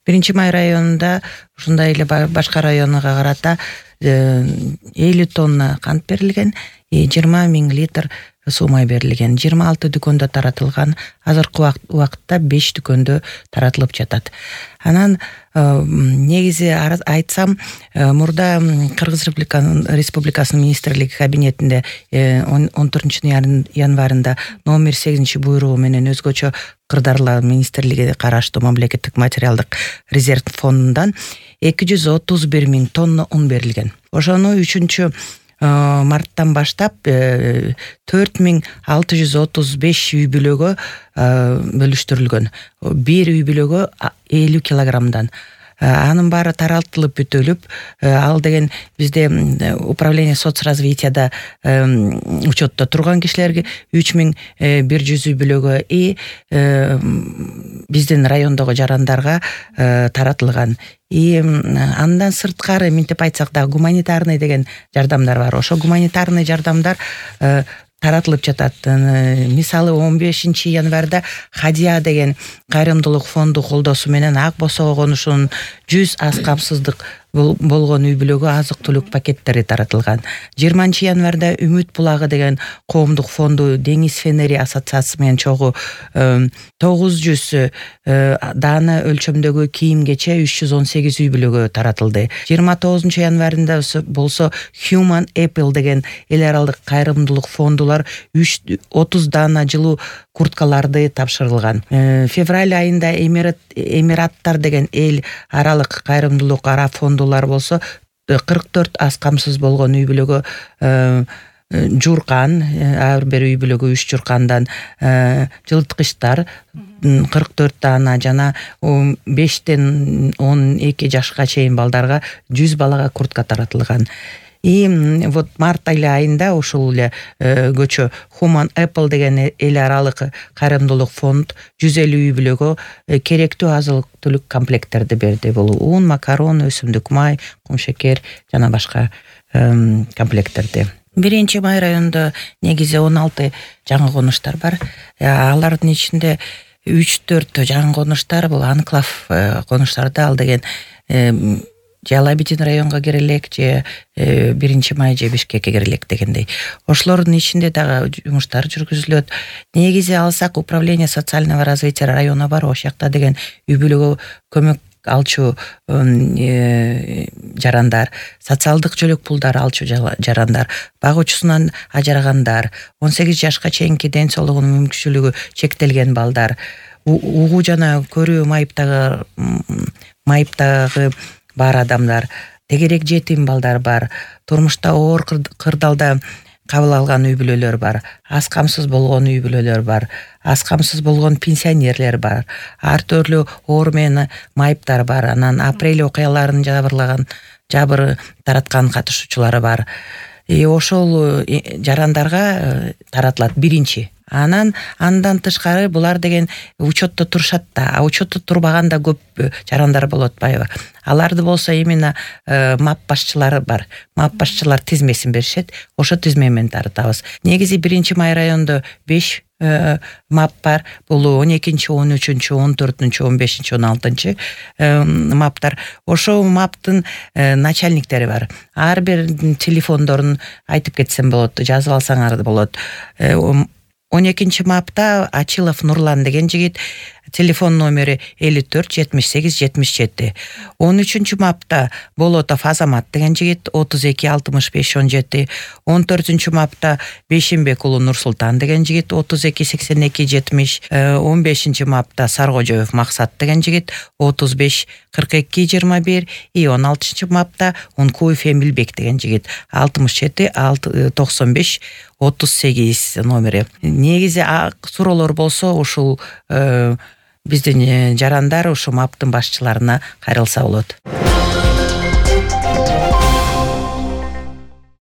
1 Май районунда ушундай эле башка районуга карата 50 тонна кант берилген, 20 000 литр суу май берилген. 26 дүкөндө таратылган. Азыркы убакытта 5 дүкөндө таратылып жатат. Анан негизи айтсам, мурда Кыргыз Республикасынын министрлиги кабинетинде 14-январында номер 8 буйругу менен өзгөчө Кырдаарлар министрлиги караштуу мамлекеттик материалдык резерв фондундан 231 000 тонна ун берилген. Ошону 3 марттан баштап 4635 үй бүлөгө бөлүштүрүлгөн. Бир үй бүлөгө 50 килограммдан. Анын баары таратылып бүтүлүп, ал деген бизде управление соцразвитияда учетто турган кишилерге 3100 үй бүлөгө биздин райондогу жарандарга таратылган. Андан сырткары минтип айтсак да гуманитарный деген жардамдар бар. Ошо гуманитарный жардамдар таратылып жатат. Мисалы 15 январда Хадия деген кайрымдуулук фонду колдоосу менен Ак Босого конушунун 100 аз камсыздык болгон үй бүлөгө азык-түлүк пакеттери таратылган. 20 январда Үмүт булагы деген коомдук фонду Деңиз Фенери ассоциациясы менен чогуу 900 даана өлчөмдөгү кийим-кече 318 үй бүлөгө таратылды. 29 январында болсо Human Apple деген эл аралык кайрымдуулук фондулар 30 даана жылуу курткаларды тапшырылган. Февраль айында Эмираттар деген эл аралык кайрымдуулук ара фондулар болсо 44 аз камсыз болгон үй бүлөгө журкан, ар бир үй бүлөгө 3 журкандан жылыткычтар 44 даана жана 5-тен 12 жашка чейин балдарга 100 балага куртка таратылган. Вот март айында ушул эле көчө Human Apple деген эл аралык кайрымдуулук фонд 150 үй бүлөгө керектүү азык-түлүк комплекттерди берди. Бул ун, макарон, өсүмдүк май, кумшекер жана башка комплекттерди. 1 Май районунда негизи 16 жаңы конуштар бар. Алардын ичинде 3-4 жаңы конуштар бул анклав конуштарды, ал деген Алабидин районго кирелек же 1 Май же Бишкекке кирелек дегендей. Ошолордун ичинде дагы жумуштар жүргүзүлөт. Негизи алсак управление социального развития району бар. Ошол жакта деген үй бүлөгө көмөк алчу жарандар, социалдык жөлөк пулдар алчу жарандар, багуучусунан ажырагандар, 18 жашка чейинки ден соолугунун мүмкүнчүлүгү чектелген балдар, угуу жана көрүү майыптагы бар адамдар, тегерек жетим балдар бар, турмушта оор кырдаалда кабыл алган үй бүлөлөр бар, аз камсыз болгон үй бүлөлөр бар, аз камсыз болгон пенсионерлер бар, ар түрлүү оор менен майыптар бар. Анан апрель окуяларын жабыр тараткан катышуучулары бар. Ошол жарандарга таратылат биринчи. Андан тышкары булар деген учетто турушат да, а учетто турбаган да көп жарандар болуп атпайбы. Аларды болсо именно МАП башчылары бар. МАП башчылар тизмесин беришет. Ошо тизме менен таратабыз. Негизи 1 Май районунда 5 МАП бар. Бул 12-13, 14, 15, 16 МАПтар. Ошо МАПтын начальниктери бар. Ар бир телефондорун айтып кетсем болот, жазып алсаңар болот. 12 МАПта Ачилов Нурлан деген жигит, телефон номери 54 78 77. 13 МАПта Болотов Азамат деген жигит 32 65 17. 14 МАПта Бейшенбек уулу Нурсултан деген жигит 32 82 70. 15 МАПта Саргожоев Максат деген жигит 35 42 21. 16 МАПта Ункуев Эмилбек деген жигит 67 95 38 номери. Негизи суроолор болсо ушул биздин жарандар ушу МАПтын башчыларына кайрылса болот.